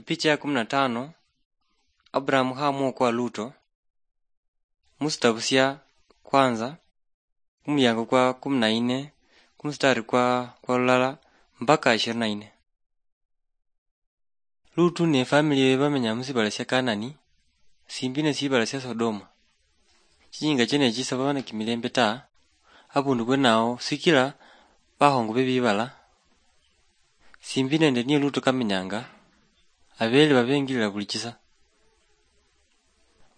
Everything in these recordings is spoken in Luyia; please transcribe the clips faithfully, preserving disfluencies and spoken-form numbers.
Picha ya kumi na tano. Abrahamu khamuokoa Luto. Musitabu sia kwanza, kumuliango kwa kumi na nne, kumustari kwa, kwa lulala, mpaka ishirini na nne. Lutu ne family yewe bamenya musibala sia Kanani, simbi ne sibala sia Sodoma. Chinyinga chene chisaba bana kimilembe ta, abundu bwenao sikila bakhongo be bibala, simbi nende niye Lutu kamenyanga, abele babengilila buli chisa.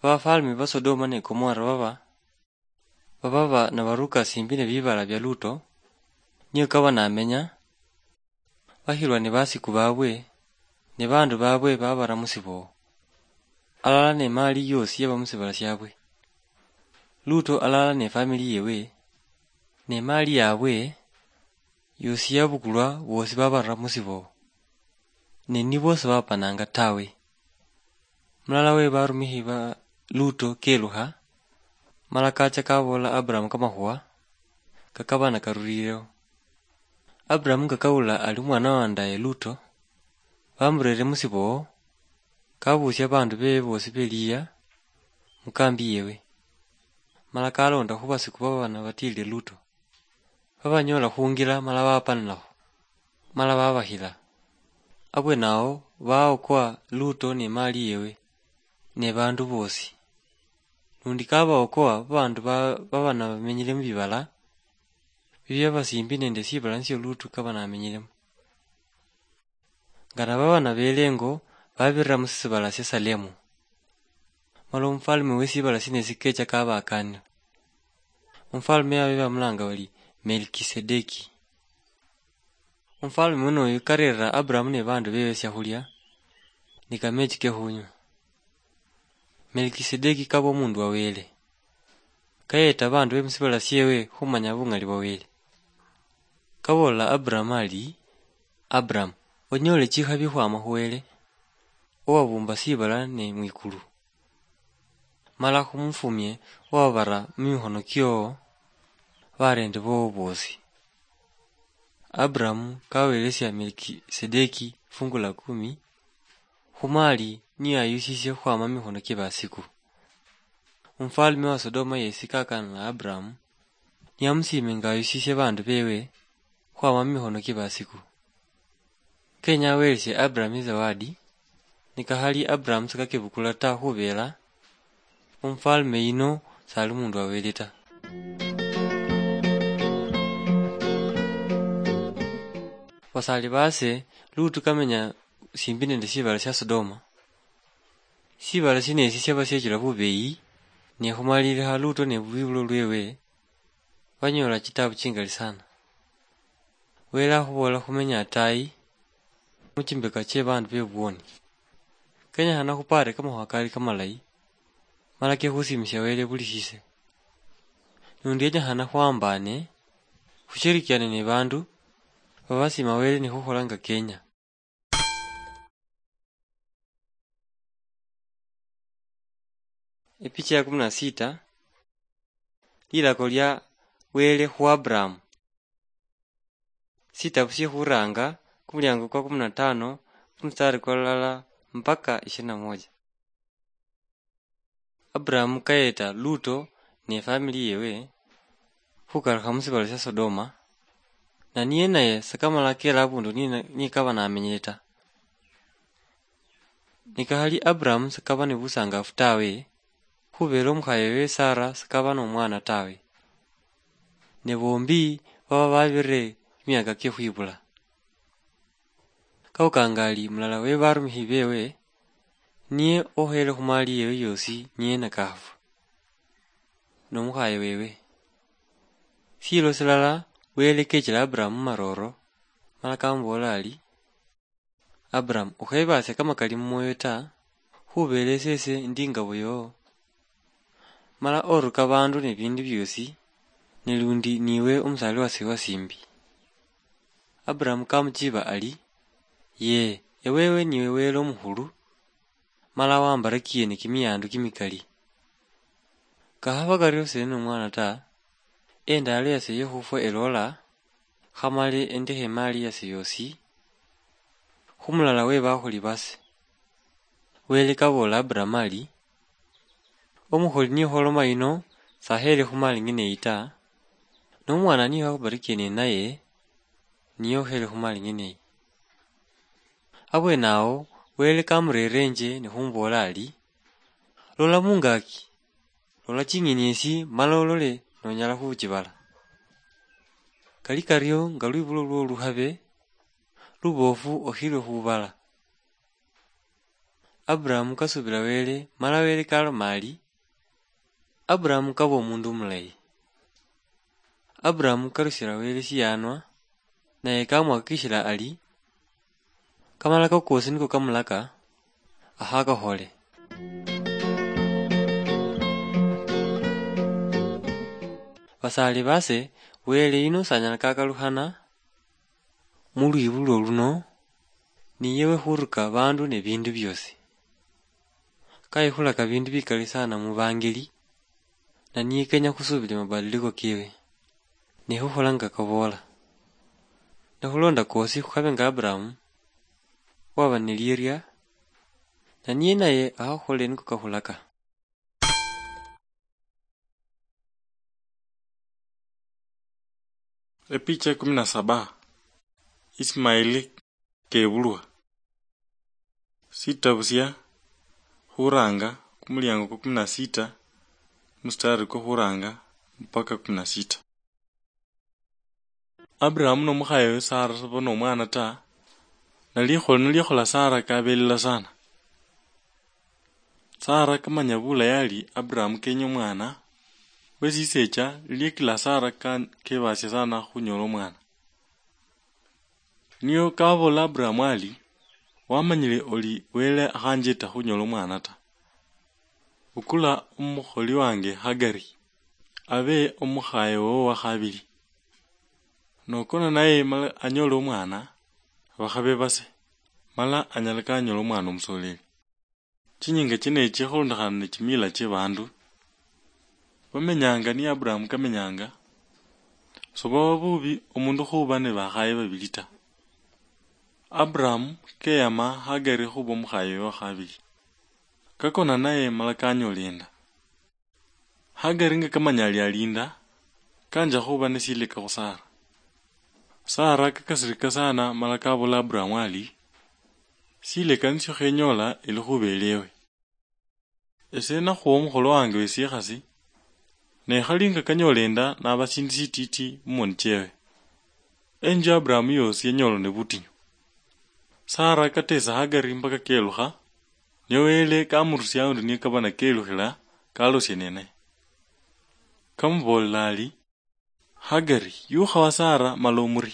Bafalme ba Sodoma ne Gomora baba, baba ba nabaruka simbi ne bibala bia Luto, niyo kaba namenya, bakhilwa ne basiku babwe, ne bandu babwe babara musiboo, alala ne mali yosi yaba musibala siabwe. Luto alala ne family yewe, ne mali yabwe, yosi yabukulwa, bosi babarira musiboo, ne nibo sibapananga tawe. Mulala we barumikhi ba Luto kelukha, mala kacha kabola Abrahamu kamakhuwa kakaba nakarulileo. Abrahamu kakawula ali omwana wa ndaye Luto, bamurere musiboo, kabusia bandu bewe bosi beliya mukambi yewe, mala kalonda khubasiku baba nabatilile Luto. Babanyola khungila mala bapanilakho, mala babakhila. Abwenawo baokoa Luto ne mali yewe ne bandu bosi. Lundi kabaokoa babandu ba-, baba nabamenyile mubibala bibia basimbi nende sibala nisio Lutu kaba namenyilemo. Nga nababa nabele engo, babirira musisibala sia Salemu. Mala omufalme wesibala sino esikecha kabakanira. Omufalme yawe bamulanga bari Melkisedeki. Omufalme muno oyu karerera Abrahamu ne bandu bewe siakhulia ni kamechi kekhunywa. Melkisedeki kaba omundu wa Wele. Kayeta bandu be musibala siewe khumanya bungali bwa Wele. Kabolela Abrahamu ari, "Abrahamu, onyole chikhabi khwama khu Wele, owabumba sibala ne mwikulu. Mala khumufumie owabara mumikhono kiowo barende bowo bosi." Abrahamu kawelesia Melkisedeki fungu la kumi khumali niyo ayusisie khwama mumikhono kie basiku. Omufalme wa Sodoma yesi kakana na Abrahamu, niyamusiime nga ayusisie bandu bewe khwama mumikhono kie basiku. Kenya awelesie Abrahamu izawadi, nikakhali Abrahamu sikakebukula ta, khubela omufalme yino sali omundu wa Wele ta. Basali base, Lutu kamenya simbi nende sibala sia Sodoma. Sibala sino esi siaba siechula bubeyi, ne khumalilikha Luto ne lwibulo lwewe, banyola chitabu chingali sana. Wele akhubola khumenya atayi muchimbeka chie bandu bebwoni. Kenyakhana khupare kamakhuwa kali kamalayi, mala kekhusimisia Wele buli sise. Nundi yenyakhana khwambane, khushirikiane ne bandu babasima Wele nikhukhola nga kenya. Epicha ya kumi na sita, lilako lia Wele khu Abrahamu. Sitabu sie Khuranga, kumuliango kwa kumi na tano, kumustari kwa lulala mpaka ishirini na moja. Abrahamu kayeta Luto ne family yewe khukalukha musibala sia Sodoma, na niye naye sakamala kela abundu ni, nikaba namenyele ta. Nikakhali Abrahamu sakaba ni busangafu tawe, khubela omukhaye wewe Sara sakaba nomwana tawe. Ne bombi baba babirire miaka kie khwibula. Kaukanga ali mulala we barumikhi bewe, niye okhele khumali yewe yosi niye nakafwa, nomukhaye wewe. Silo silala Wele kechela Abrahamu maroro, mala kamubola ali, "Abrahamu, ukhebasia kamakali mumwoyo ta, khubela esese ndi ingabo yowo. Mala oruka bandu ne bindu biosi, ne lundi niwe omusali wase wasimbi." Abrahamu kamuchiba ali, "Yee, ewewe niwe Wele omukhulu, mala wambarakiye ni kimiyandu kimikali. Kakhaba kario sili nomwana ta, endalo yase yekhufwa elola, khamale endekhe emali yase yosi khumulala we bakholi base. Wele kaboola Aburahamu ali, "Omukholi niye khwoloma yino, sakheele khu mali ng'ene eyi ta, nomwana niye wakhubarikiye nenaye, niye okheele khu mali ng'ene eyi." Abweene awo, Wele kamureerenje nikhumuboola ali, "Lola mungaaki, lola ching'eni esi mala olole nonyala khuchibala. Kali kario nga lwibulo lwo lukhabe luboofu okhilwe khubala." Aburahamu kasubila Wele, mala Wele kaloma ali, "Aburahamu kaba omundu omulayi." Aburahamu karushila Wele shiyanwa, naye kamuhakikishila ali, "Kamalako kosi niko kamulaka, akhakakhole." Basaali base, Wele yuno sanyala kakalukhana mu lwibulo luno, niye wekhuruka bandu ne bindu biosi. Kayekhulaka bindu bikali sana mu bangeli, na niye kenya khusubile mabadiliko kewe, ne khukhola nga kaboola. Ne khulonda kosi khukhabe nga Aburahamu, waba ne lieria, na niye naye akhakhole niko kakhulaka. Epicha kumi na saba. Ismaili kebulwa. Sitabu sia Khuranga, kumuliango kwa kumi na sita, mustari kwa khuranga mpaka kumi na sita. Aburahamu nomukhayewe Sara saba nomwana ta, na likholo niliakhola Sara kabelela sana. Sara kamanya bulayi ali Aburahamu kenya omwana, wesisecha liekila Sara ka-, kebasia sana khunyola omwana. Nio kabola Aburahamu ali, "Wamanyile oli Wele akhanjeta khunyola omwana ta. Bukula omukholi wange Hagari, abe omukhaye wowo wakhabili. Nokona naye mala anyole omwana, bakhabe base, mala anyala kanyola omwana omusoleli." Chinyinga chino echi khulondokhana ne chimila chie bandu, bamenyanga ni Aburahamu kamenyanga, sobaba bubi omundu khuba ne bakhaye babili ta. Aburahamu keyama Hagari khuba omukhaye wa khabili. Kakona naye mala kanyola enda. Hagari nga kamanya ali alinda, kanja khuba ne sileka khu Sara. Sara kakasirika sana mala kabola Aburahamu ali, "Sileka nisio khenyola elikhuba eliewe. Ese nakhuwa omukholo wange wesikhasi, ne khali nga kanyola enda naba sindu sititi mumoni chiewe." Enju ya Aburahamu yosi yanyolwa ne butinyu. Sara katesa Hagari mpaka kelukha, ne Wele kamurusia aundi niye kaba nakelukhila kalosie ninaye. Kamubolela ali, "Hagari, yukha wa Sara mala omuri.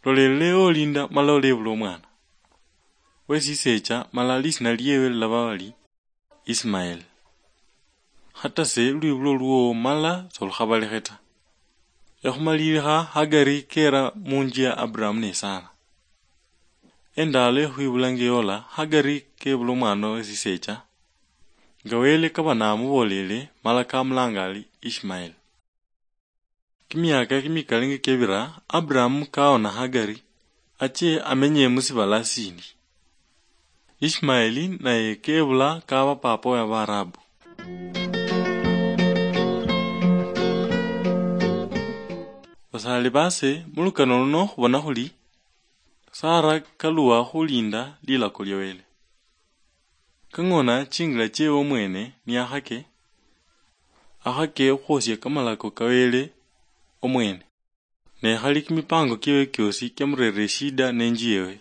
Lolelele olinda mala olebula omwana. Wesisecha mala lisina liewe lilaba bali Ismael. Khata se lwibulo lwowo mala solukhabalekhe ta." Ekhumalilikha Hagari kera munju ya Aburahamu ne Sara. Endalo ekhwibula ngeyola, Hagari kebula omwana wesisecha, nga Wele kaba namubolele mala kamulanga ali Ishmael. Kimiaka kimikali nga kebira, Aburahamu kaona Hagari ache amenye musibala sindi. Ishmaeli naye kebula kaba papa wa Baarabu. Basali base, mulukano luno khubona khuli Sara kaluwa khulinda lilako lya Wele. Kang'ona chingila chiewe omwene niyakhake, akhake okhwosia kamalako ka Wele omwene, ne khali kimipango kiewe kiosi kiamurerera eshida nenju yewe.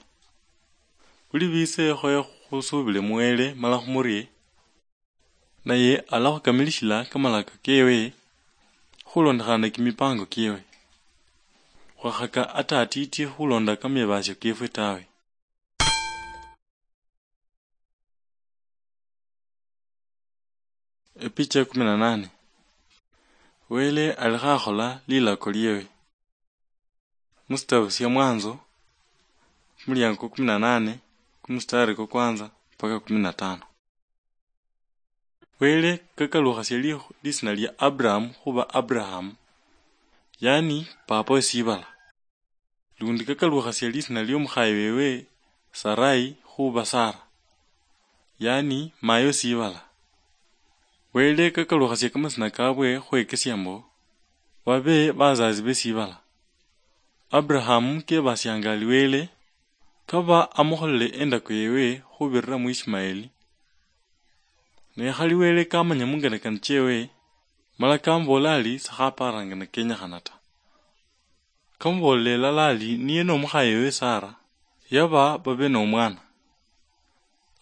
Buli bitse khoya khusubile mu Wele mala khumurie, naye alakhukamilishila kamalaka kewe khulondokhana ne kimipango kiewe. Khwakhaka ata atiti khulonda kamebasio kefwe tawe. Epicha ya kumi na nane. Wele alikho akhola lilako liewe. Musitabu sia Mwanzo, kumuliango kwa kumi na nane, kumustari kwa kwanza mpaka kumi na tano. Wele kakalukhasia li-, lisina lia Abrahamu khuba Abraham, yaani papa we sibala. Lundi kakalukhasia lisina liomukhaye wewe Sarai khuba Sara. yaani mayo sibala. Wele kakalukhasia kamasina kabwe khwekesia mbo, babe bazazi be sibala. Abrahamu kebasianga ali Wele kaba amukholele endako yewe khubirira mu Ishimaeli. Ne khali Wele kamanya munganakana chewe, mala kamubola ali sakhaparanga na kenyakhana ta. Kamubolele lala ali niye nomukhaye we Sara, yaba babe nomwana.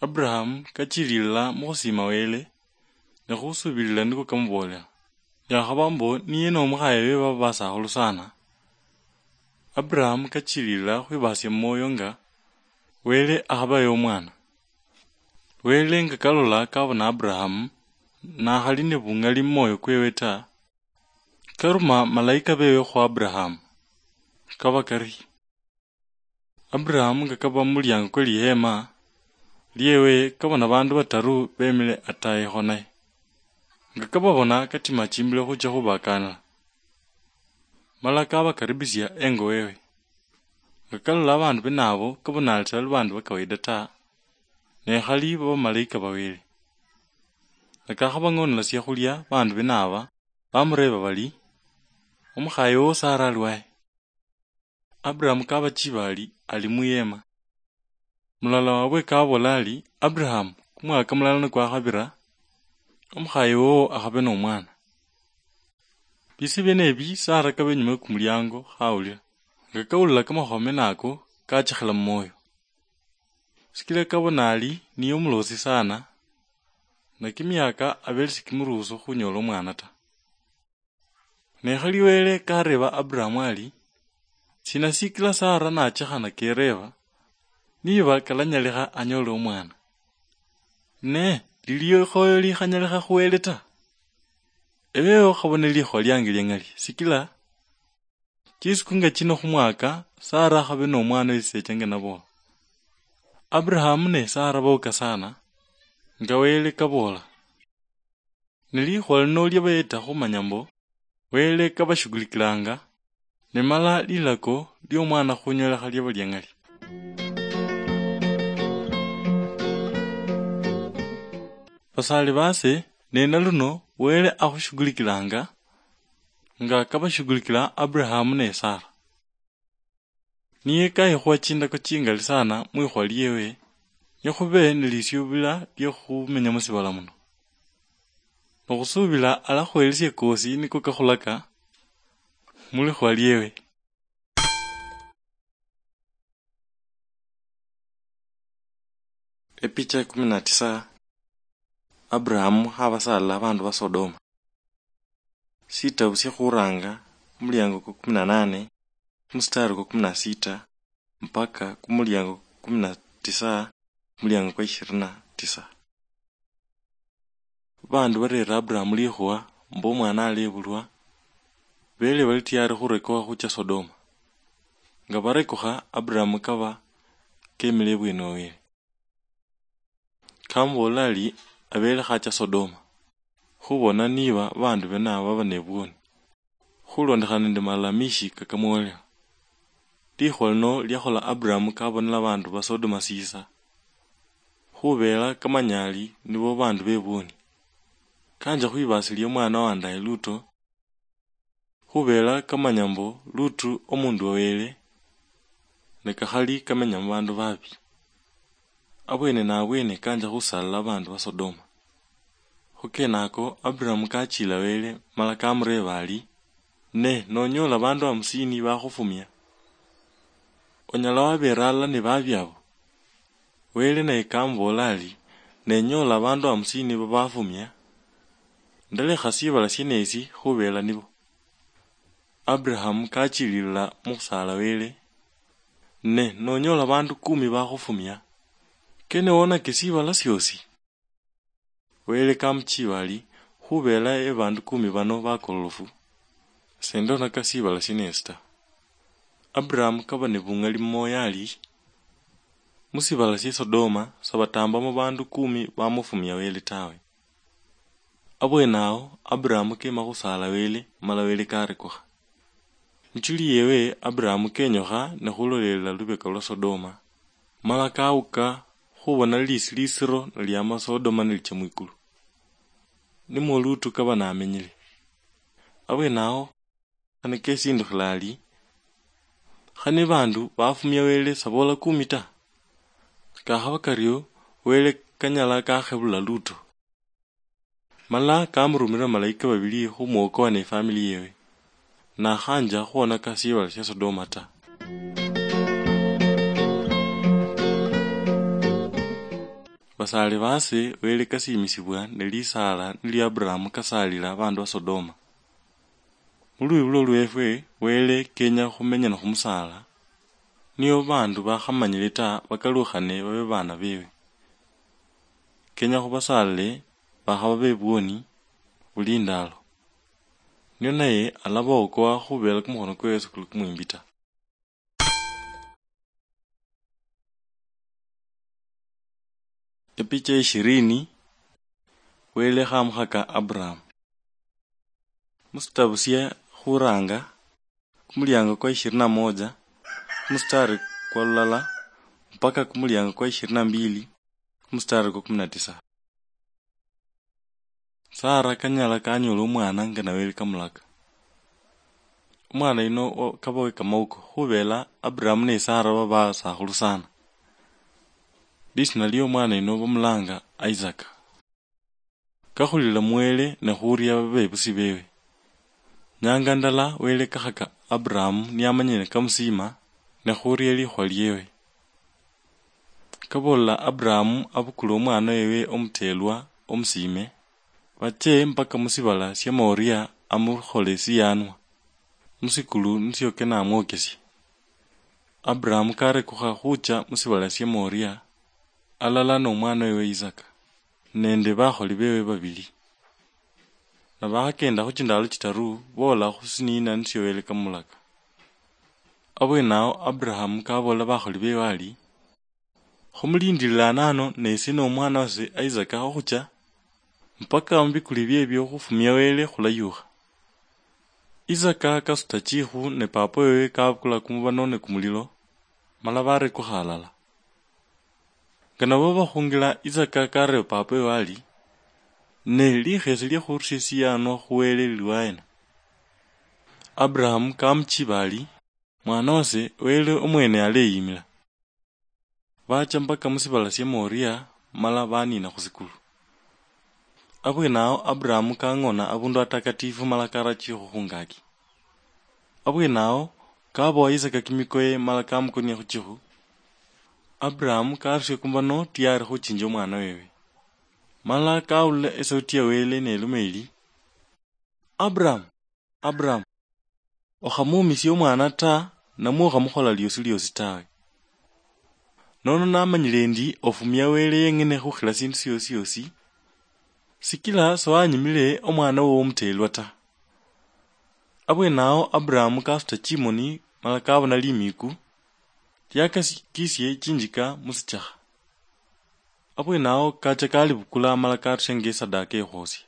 Abrahamu kachililila mukhusima Wele, ne khusubilila niko kamubolela. Yakhaba mbo niye nomukhaye we baba basakhulu sana. Abrahamu kachililila khwibasia mumwoyo nga Wele akhabaye omwana. Wele nga kalola kabona Abrahamu, nakhali ne bungali mumwoyo kwewe ta, karuma malaika bewe khu Abrahamu. Kaba kari, Abrahamu nga kaba mumuliango kwe lihema liewe, kabona bandu bataru bemile atayi khonaye. Nga kababona, katima chimbilo khucha khubakanila. Mala kabakaribisia engo wewe. Nga kalola abandu bene abo, kabona ali sibali bandu ba kawaida ta, ne khali bamalaika ba Wele. Nga kakhabang'onela siakhulia bandu bene aba, bamureba bali, "Omukhaye wowo Sara ali wahe?" Abrahamu kabachiba ali, "Ali muyema." Mulala wabwe kabola ali, "Abrahamu, kumwaka mulala nikwakhabira, omukhaye wowo akhabe nomwana." Bisi biene ebi Sara kabe inyuma yokumuliango khawulila. Nga kawulila kamakhuwa mene ako, kachikhila mumwoyo. Sikila kabona ali niye omulosi sana, na kimiaka abele sikimuruhusu khunyola omwana ta. Ne khali Wele kareba Abrahamu ali, "Sina sikila Sara nachekhana kereba, niba kalanyalikha anyole omwana? Ne lili likhoyo likhanyalikha khu Wele ta? Ebewo khabone likhuwa liange liang'ali, sikila chisiku nga chino khumwaka, Sara akhabe nomwana wesisecha nga nabo." Abrahamu ne Sara boka sana, nga Wele kabola. Ne likhuwa lino liabayeta khumanya mbo Wele kabashughulikilanga, ne mala lilako liomwana khunyolekha liaba liang'ali. Basali base, ne naluno Wele akhushugulikilanga nga kabashugulikila Abrahamu ne Sara. Niye kayikhuwa chindako chingali sana mwikhuwa liewe, nikhube nilisiubila liokhumenya musibala muno. Nokhusubila alakhwelesia kosi niko kakhulaka mulikhuwa liewe. Epicha kumi na tisa. Abrahamu khabasala abandu ba Sodoma. Sitabu sya Khuranga, kumuliango kwa kumi na nane, kumustari kwa kumi na sita, mpaka kumuliango kwa kumi na tisa, kumuliango kwa ishirini na tisa. Babandu barera Abrahamu likhuwa mbo omwana alebulwa, bele bali tiyari khurekokha khucha Sodoma. Nga barekokha, Abrahamu kaba kemile ibweni wa Wele. Kamubool'la ari, "Abeele khacha Sodoma, khubona niba baandu bene abo baba nebwoni, khulondekhana nende malamishi kakamwolera." Likhuwa lino liakhola Abrahamu kabonela baandu ba Sodoma siisa, khubeela kamanya ari nibo baandu bebwoni. Kanja khwibasilia omwana wa Ndaye Luto, khubeela kamanya mbu Lutu omundu wa Wele, ne kakhali kamenya mubaandu babi. Abwene nabwene kanja khusaalila abaandu ba Sodoma. Khukenako Aburahamu kachila Wele mala kamureeba ari, "Ne nonyoola baandu hamusini bakhufumia, onyala wabeera halala ne babi abo?" Wele naye kamuboola ari, "Nenyoola baandu hamusini babafumia, ndalekha sibala sienesi khubeela nibo." Aburahamu kachililila mukhusaala Wele, "Ne nonyoola baandu kumi bakhufumia, kene wonake sibala siosi?" Wele kamuchiba ari, "Khubeela ebaandu kumi bano bakololofu, sendonaka sibala sienesi ta." Aburahamu kaba ne bungali mumwoyo ari, "Musibala sie Sodoma sabatambamo baandu kumi bamufumia Wele tawe." Abwenaho Aburahamu kema khusaala Wele, mala Wele karekukha. Muchuli yewe Aburahamu kenyukha ne khulolelela lubeka lwa Sodoma, mala kawuka khubona lilisi lisiro niliama Sodoma nilicha mwikulu. Nimwo Lutu kaba namenyile. Abwenaho, khane kesindukhila ali, khane bandu bafumia Wele sabola kumi ta? Kakhaba kario, Wele kanyala kakhebula Lutu. Mala kamurumira malaika babili khumwokoa ne family yewe, nakhanja khuonaka sibala sia Sodoma ta. Basaale baase Wele kasiimisibwa ne lisaala nilio Abrahamu kasaalila baandu ba Sodoma. Mu lwibulo lweefwe, Wele kenya khumenya ni khumusaala, nio baandu bakhamanyile ta bakalukhane babe baana beewe. Kenya khubasaalile bakhaba bebwoni buli ndaalo, nio naye alaba okowa khubeela kumukhono kwewe sikuli kumwimbi ta. Epicha ishirini, Wele khamukhaka Abraham. Musitabu sia khuranga, kumuliango kwa ishirini na moja, kumustari kwa lulala, mpaka kumuliango kwa ishirini na mbili, kumustari kwa kumi na tisa. Sara kanyala kanyola omwana nga Wele kamulaka. Omwana yuno o-, kaba we kamauko, khubela Abraham ne Sara baba basakhulu sana. Lisina lio omwana yuno bamulanga Isaac. Kakhulila mu Wele ne khuria babebusi bewe. Nyanga ndala Wele kakhaka Abraham niamanyire kamusima ne khuria likhuwa liewe. Kaboolela Abraham abukule omwana wewe omuteelwa omusiime, bache mpaka musibala sia Moria amukhole siyaanwa, musikulu nisio kenamwokesia. Abraham karekukha khucha musibala sia Moria, alala nomwana wewe Isaka, nende bakholi bewe babili. Nabakhakenda khuchindaalo chitaru, boola khusiniina nisio Wele kamulaka. Abwenaho Abraham kaboolela bakholi bewe ari, "Khumulindirire anano nesi nomwana wase Isaka okhucha, mpaka mubikuli bie biokhufumia Wele khulayukha." Isaka kasuta chikhu ne papa wewe kabukula kumubano ne kumulilo, mala barekukha alala. Nga nabo bakhungila, Isaka kareeba papa wewe ari, "Ne likheesi lia khurusia esiyaanwa khu Wele lili waena?" Abraham kamuchiba ari, "Mwana wase, Wele omwene aleyimila." Bacha mpaka musibala sia Moria, mala baniina khusikulu. Abwenaho Abraham kang'ona abundu atakatifu mala kara chikhu khungaki. Abwenaho kabowa Isaka kimikoye mala kamukonia khuchikhu. Abraham karusia kumubano tiyari khuchinja omwana wewe. Mala kawulila esauti ya Wele neluma eli, "Abraham, Abraham, okhamuumisia omwana ta, namwe okhamukhola liosi liosi tawe. Nono namanyile endi ofumia Wele yeng'ene khukhila sindu siosi siosi, sikila sowanyimile omwana wowo omuteelwa ta." Abwenaho Abraham kasuta chimoni mala kabona limiku liakakisie chinjika musichakha. Abwenaho kacha kalibukula mala karusia nga esadaka ekhwosia.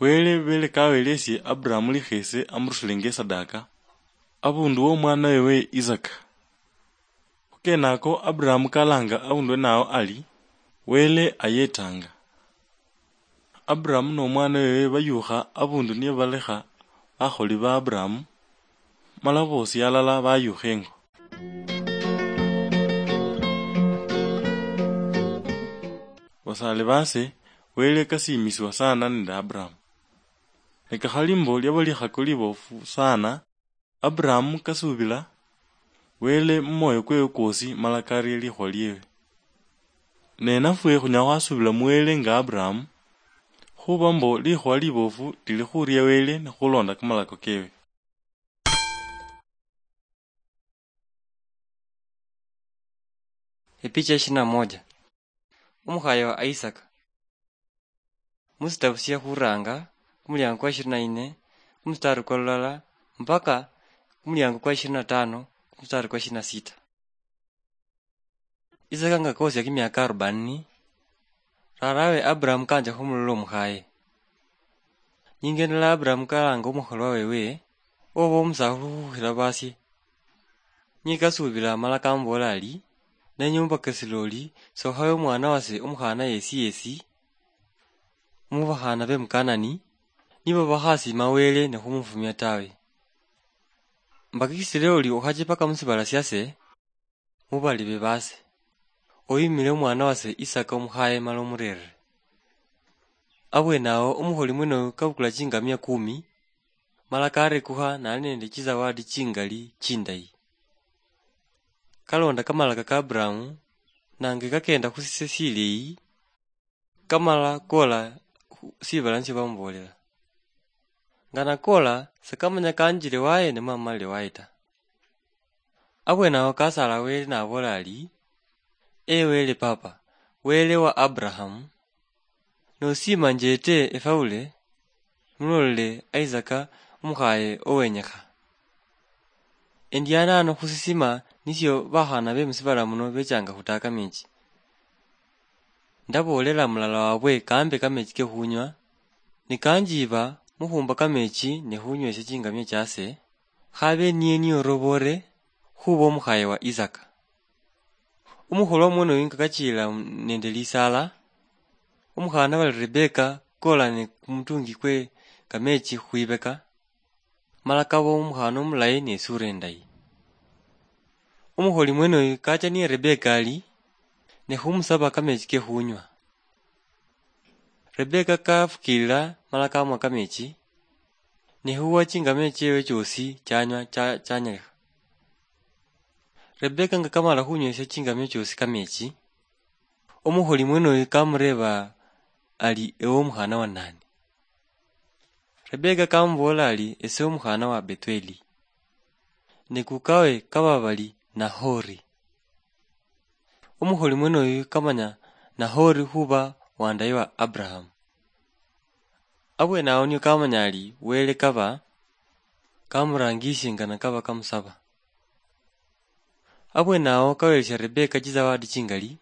Wele bele kawelesie Abraham likheese amurusile nga esadaka, abundu womwana wewe Isaka. Khukenako Abraham kalanga abundu wenawo ari, "Wele ayetanga." Abraham nomwana wewe bayukha abundu nibalekha bakholi ba Abraham, mala bosi alala bayukha engo. Basaale baase, Wele kasiimisibwa sana nende Abraham. Ne kakhali mbo liaba likhako libofu sana, Abraham kasuubila Wele mumwoyo kwewe kwosi mala karia likhuwa liewe. Ne nafwe khunyala khwasuubila mu Wele nga Abraham, khuba mbo likhuwa libofu lili khuria Wele ne khulonda kamalako kewe. Epicha ishirini na moja. Omukhaye wa Isaka. Musitabu sia khuranga, kumuliango kwa ishirini na nne, kumustari kwa lulala, mpaka kumuliango kwa ishirini na tano, kumustari kwa ishirini na sita. Isaka nga kosia kimiaka arobaini, rarawe Abraham kanja khumulola omukhaye. Nyingendela Abraham kalanga omukholwa wewe, oba omusakhulu khukhila basie. Niye kasuubila amala kamubola ari, Nenye umbakasile oli, sokhawe omwana wase omukhana yesi yesi, mubakhaana be Mukanani, nibo bakhasiima Wele ne khumufumia tawe. Mbakikisile oli okhache paka musibala siase, mubalibe base. Oyimile omwana wase Isaka omukhaye mala omurerere. Abwenawo omukholi mwenoyo kabukula chingamia kumi, mala karekukha nali nende chisawadi chingali chindayi. Kalonda kamalaka ka Aburahamu, nange kakenda khusise sileyi, kamala kola khu sibala nisio bamubolela. Nga nakola, sekamanya kanjile waye ne mamalile waye ta. Abwenawo kasala Wele nabola ali, "Ee Wele Papa, Wele wa Aburahamu, nosima njete efaule, mulolele Isaka omukhaye owenyekha. Endiana ano khusisima nisio bakhana be musibala muno bechanga khutaka mechi. Ndabolela mulala wabwe kambe kamechi ke khunywa, nikanjiba mukhumba kamechi ne khunywesha chingamia chase, khabe niye niyorobore khuba omukhaye wa Isaka." Omukholwa omwenoyo nga kachila nende lisala, omukhana bali Rebeka kola ne kumutungi kwe kamechi khwibeka, mala kaba omukhana omulayi ne sura endayi. Omukholi mwenoyo kacha niye Rebeka ali, ne khumusaba kamechi ke khunywa. Rebeka kafukilila mala kamwa kamechi, ne khuwa chingamia chiewe chiosi chanywa cha-, chanyalikha. Rebeka nga kamala khunywesha chingamia chiosi kamechi, omukholi mwenoyo kamureba ali, "Ewe omukhana wa nani?" Rebeka kamubola ali, "Ese omukhana wa Bethueli." Ne kukawe kaba bali Nahori. Omukholi mwenoyo kamanya Nahori khuba wandaye wa Aburahamu. Abwenawo nio kamanya ali Wele kaba kamurangishe nga nakaba kamusaba. Abwenawo kawelesha Rebeka chisawadi chingali,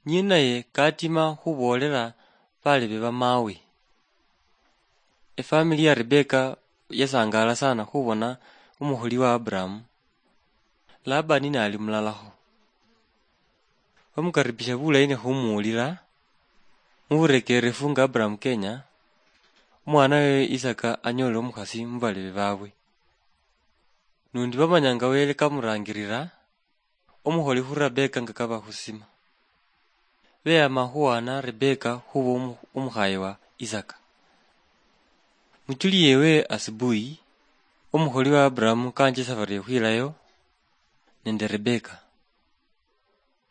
niye naye katima khubolela balebe ba mawe. Efamili ya Rebeka yasangala sana khubona omukholi wa Aburahamu. Labani nali mulalakho. Bamukaribisha bulayi ne khumuwulila. Muburekerefu nga Aburahamu kenya, omwana wewe Isaka anyolile omukhasi mubalebe babwe. Nundi bamanya nga Wele kamurangirira omukholi khu Rebeka nga kaba khusima. Beyama khuwana Rebeka khuba omu-, omukhaye wa Isaka. Muchuli yewe asubuhi, omukholi wa Aburahamu kanje safari yokhwilayo nende Rebeka.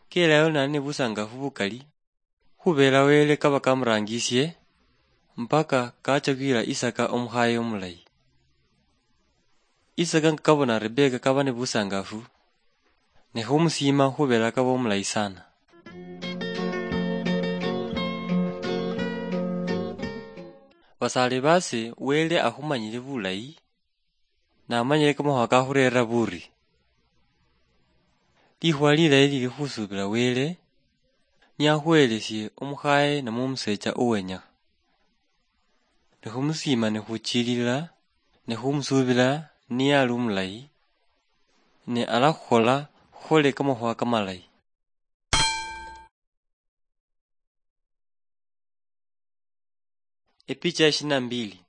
Kelayo nali nebusangafu bukali, khubela Wele kaba kamurangishe, mpaka kachakira Isaka omukhaye omulayi. Isaka nga kabona Rebeka kaba nebusangafu, ne khumusiima khubela kaba omulayi sana. Basale base, Wele akhumanyile bulayi, namanyile kamakhuwa kakhurera buri. Likhuwa lilayi lili khusubila Wele, niye akhuhelesie omukhaye namwe omusecha owenyakha. Ne khumusiima ne khuchilila, ne khumusuubila niye ali omulayi, ne alakhukhola khukhole kamakhuwa kamalayi. Epicha ya ishirini na mbili.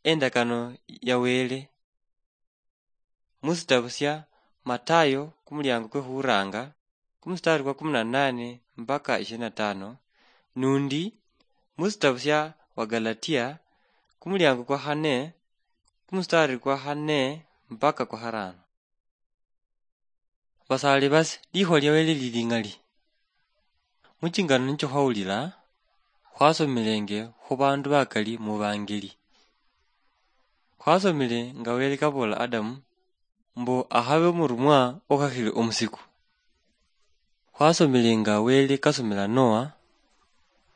Endakano ya Wele. Musitabu sia Matayo kumuliango kwe khuranga, kumustari kwa kumi na nane mpaka ishirini na tano, nundi musitabu sia Wagalatia kumuliango kwa khane, kumustari kwa khane mpaka kwa kharano. Basali basi, likhuwa lia Wele lili ng'ali. Muchingano nicho khwawulila, khwasomilenge khubandu bakali mubangeli. Khwasomile nga Wele kabola Adamu mbu akhabe omurumwa okhakhile omusiku. Khwasomile nga Wele kasomela Noa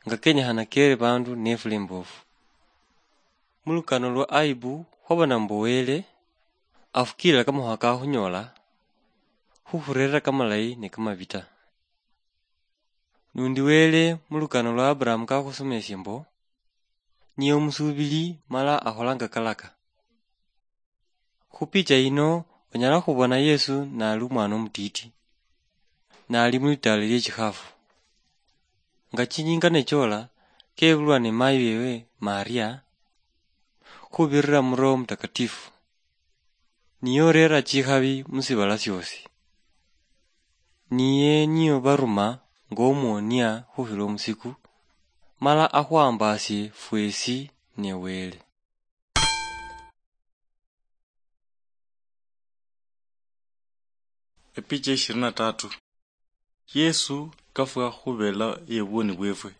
nga kenyekhana kere bandu nefula imbofu. Mulukano lwa Aibu khwabona mbu Wele afukilila kamakhuwa kakhunyola, khukhurerera kamalayi ne kamabi ta. Nundi Wele mulukano lwa Aburahamu kakhusomeshe mbu niye omusubili mala akholanga kalaka. Khupicha yino onyala khubona Yesu nali omwana omutiti. nali mulitaala liechikhafu. Nga chinyinga nechola, kebulwa ni mayi wewe Maria, khubirira mu Roho Mutakatifu. Niye orera chikhabi musibala siosi. Niye niyo baruma ng'omuonia khukhila omusiku, mala akhwambasie fwesi ne Wele. Epicha ishirini na tatu. Yesu kafwa khubela yebwoni bwefwe.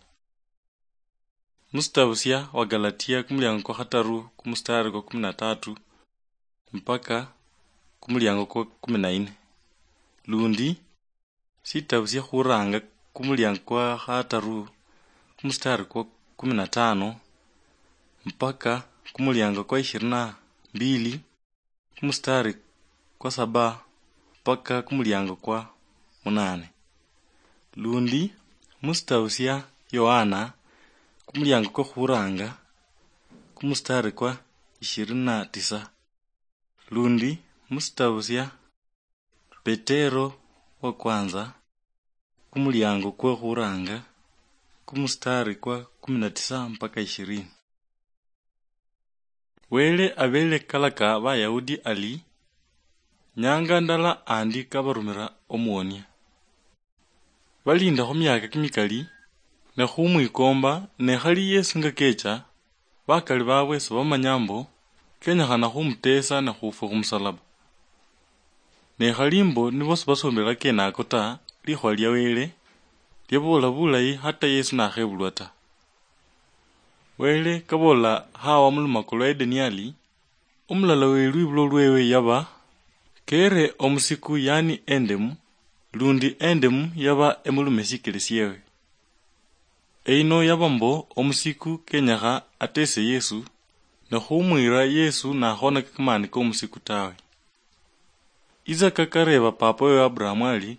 Musitabu sia Wagalatia kumuliango kwa khataru kumustari kwa kumi na tatu mpaka kumuliango kwa kumi na nne. Lundi, sitabu sia khuranga kumuliango kwa khataru kumustari kwa kumi na tano mpaka kumuliango kwa ishirini na mbili kumustari kwa saba mpaka kumuliango kwa munane. Lundi, musitabu sia Yohana kumuliango kwa khuranga kumustari kwa ishirini na tisa. Lundi, musitabu sia Petero wa kwanza, kumuliango kwa khuranga, kumustari kwa kumi na tisa mpaka ishirini. Wele abele kalaka Bayahudi ali, nyanga ndala andi kabarumira omuonia. Balinda khumiaka kimikali, ne khumwikomba, ne khali Yesu nga kecha, bakali babwe sibamanya mbo kenyekhana khumutesa ne khufwa khumusalaba. Ne khali mbo nibo sibasombela kenako ta, likhuwa lia Wele liaboola bulayi hata Yesu nakhebulwa ta. Wele kaboola Hawa mulumakho lwa Edeni ali, omulala we lwibulo lwewe yaba, kere omusiku yani endemu, lundi endemu yaba emulume sikele siewe. Eyino yaba mbo omusiku kenyekha atese Yesu, ne khumwira Yesu nakhonaka kamani komusiku tawe. Isaka kareba papa wewe Abrahamu ali,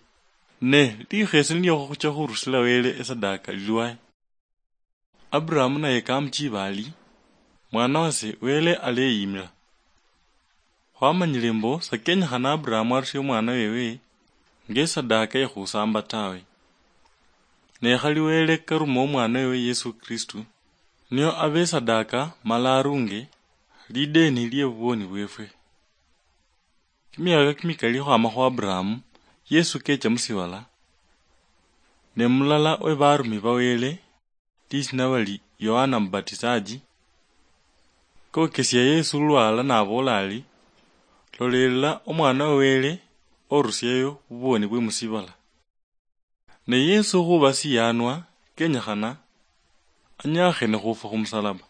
ne likhesi nilio khucha khurusila Wele esadaka lilwaye? Abrahamu naye kamuchiba ali, mwana wase Wele aleyimila. Khwamanyile mbo sakenyekhana Abrahamu arusie omwana wewe ngesadaka yekhusamba tawe. Ne khali Wele karuma omwana wewe Yesu Kristu, nio abe esadaka mala arunge lideni lie buboni bwefwe. Kimiaka kimikali khwama khu Abrahamu, Yesu kecha musibala, ne mulala we barumi ba Wele, lisina bali Yohana Mubatisaji, kokesia Yesu lulwala nabola ali, lolelela omwana wa Wele orusiayo buboni bwe musibala. Ne Yesu khuba siyanwa, kenyekhana anyakhe ne khufwa khumusalaba.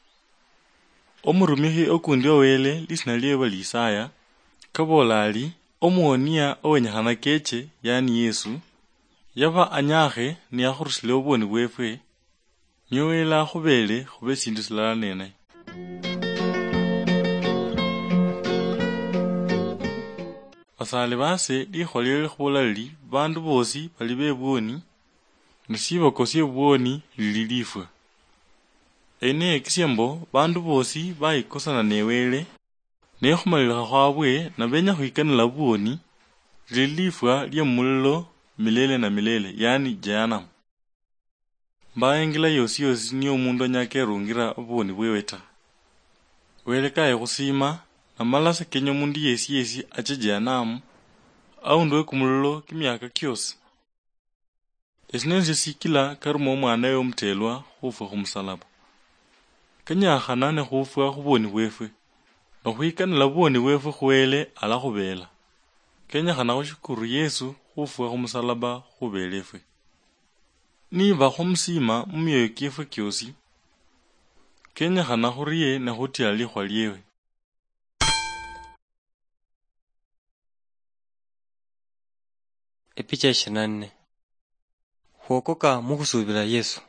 Omurumikhi okundi wa Wele lisina liewe bali Isaya, kabola ali, omuonia owenyekhana keche, yani Yesu, yaba anyakhe niyakhurusile obwoni bwefwe, nio Wele akhubele khube esindu silala nenaye. Basaale baase, likhuwa liali likhubola lili, baandu boosi bali bebwoni, ne siboko siebwoni lili lifwa. Eyi niyekisia mbo baandu boosi bayikosana ne Wele, ne khumalilikha khwabwe nabenya khwikanila bwoni, lili lifwa lie mumulilo milele na milele, yani Jehanamu. Mbaha ingila yosi yosi niyo omundu anyala kerungira obuboni bwewe ta. Wele kaye khusiima, namala sakenya omundu yesi yesi ache Jehanamu, aundi we kumulilo kimiaka kiosi. Esi nesio sikila karuma omwana we omutelwa khufwa khumusalaba. Kenyakhana ne khufwa khubwoni bwefwe, nokhwikanila bubwoni bwefwe khu Wele alakhubela. Kenyakhana khushukuru Yesu khufwa khumusalaba khubelefwe. Niba khwamusiima mumioyo kiefwe kiosi, kenyekhana khurie ne khutila likhuwa liewe. Epicha ishirini na nne. Khwokoka mukhusubila Yesu.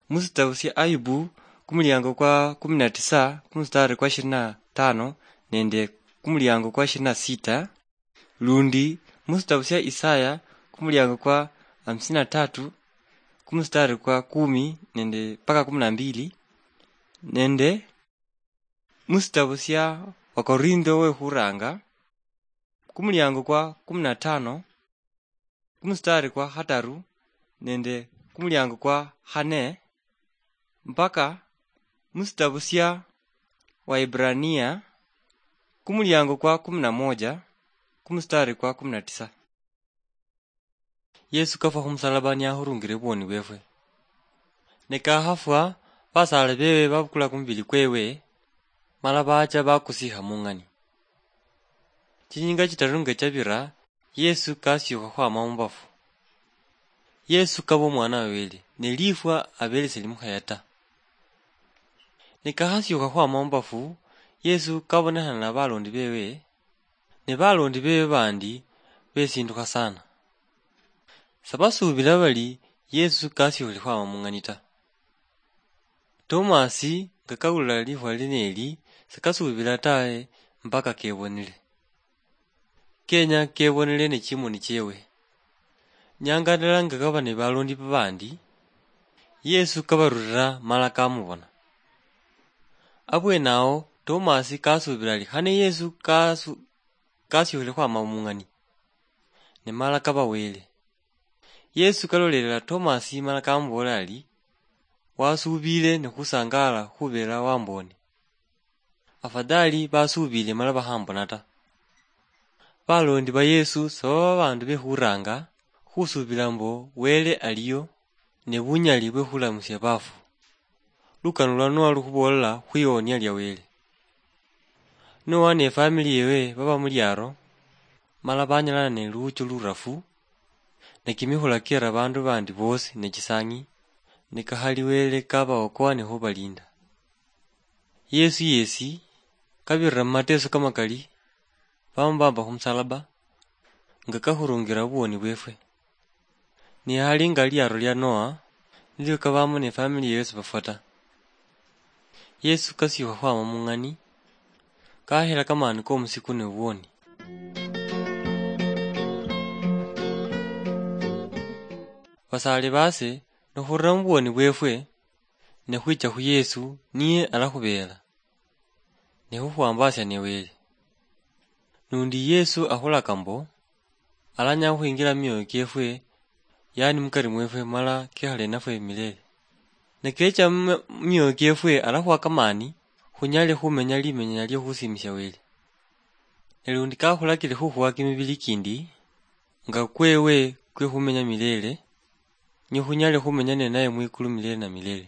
Musitabu sia Ayubu, kumuliango kwa kumi na tisa, kumustari kwa ishirini na tano nende kumuliango kwa ishirini na sita, lundi musitabu sia Isaya, kumuliango kwa hamsini na tatu, kumustari kwa kumi nende mpaka kumi na mbili, nende musitabu sia Wakorintho wekhuranga, kumuliango kwa kumi na tano, kumustari kwa khataru nende kumuliango kwa khane, mpaka musitabu sia Waibrania, kumuliango kwa kumi na moja, kumustari kwa kumi na tisa. Yesu kafwa khumusalaba niyakhurungire bwoni bwefwe. Ne kakhafwa, basaale bewe babukula kumubili kwewe, mala baacha bakusiikha mung'ani. Chinyinga chitaru nga chabira, Yesu kasiukha khwama mubafu. Yesu kaba omwana wa Wele, ne lifwa abele selimukhaya ta. Ne kakhasiukha khwama mubafu, Yesu kabonekhana na balondi bewe, ne balondi bewe bandi besindukha sana. Sabasuubila bali Yesu kasiukhile khwama mung'ani ta. Tomasi nga kawulila likhuwa lino eli, sakasuubila tawe mpaka kebonile. Kenya kebonile ne chimoni chewe. Nyanga ndala nga kaba ne balondi babandi, Yesu kabarulila mala kamubona. Abwenawo Tomasi kasuubila ali khane Yesu kasu-, kasiukhile khwama mung'ani, ne mala kaba Wele. Yesu kalolelela Tomasi mala kamuboolera ari, "Wasuubiile ne khusangaala khubeera wamboone." Afadhali basuubiile mala bakhambona ta. Balondi ba Yesu sibaba babaandu be khuraanga khusuubila mbo Wele aliyo ne bunyali bwe khulamusia baafu. Lukano lwa Noa lukhuboolela khwiwonia lia Wele. Noa ne family yewe baba mu liaro, mala banyalana ne luucho lurafu, ne kimikhula kiera bandu bandi bosi ne chisangi, ne kakhali Wele kabaokoa ne khubalinda. Yesu yesi, kabirira mu mateso kamakali, bamubamba khumusalaba, nga kakhurungira obuwoni bwefwe. Ne hali nga liaro lia Noa, nilio kabamo ne family yewe sibafwa ta. Yesu kasiukha khwama mung'ani, kahera kamani komusiku ne buwoni. Basaale baase, nikhurira mu buwoni bwefwe, ne khwicha khu Yesu, niye alakhubeela, ne khukhwambasia ne Wele. Nundi Yesu akhulaka mbo, alanyala khukhwingira mu mioyo kiefwe, yaani mukari mwefwe, mala kekhale nafwe milele. Ne kecha mu mioyo kiefwe, alakhuha kamani, khunyale khumenya limenya lia khusiimisia Wele. Ne lundi kakhulakile khukhuha kimibili kindi, nga kwewe kwe khumenya milele, nio khunyale khumenya ninaye mwikulu milele na milele.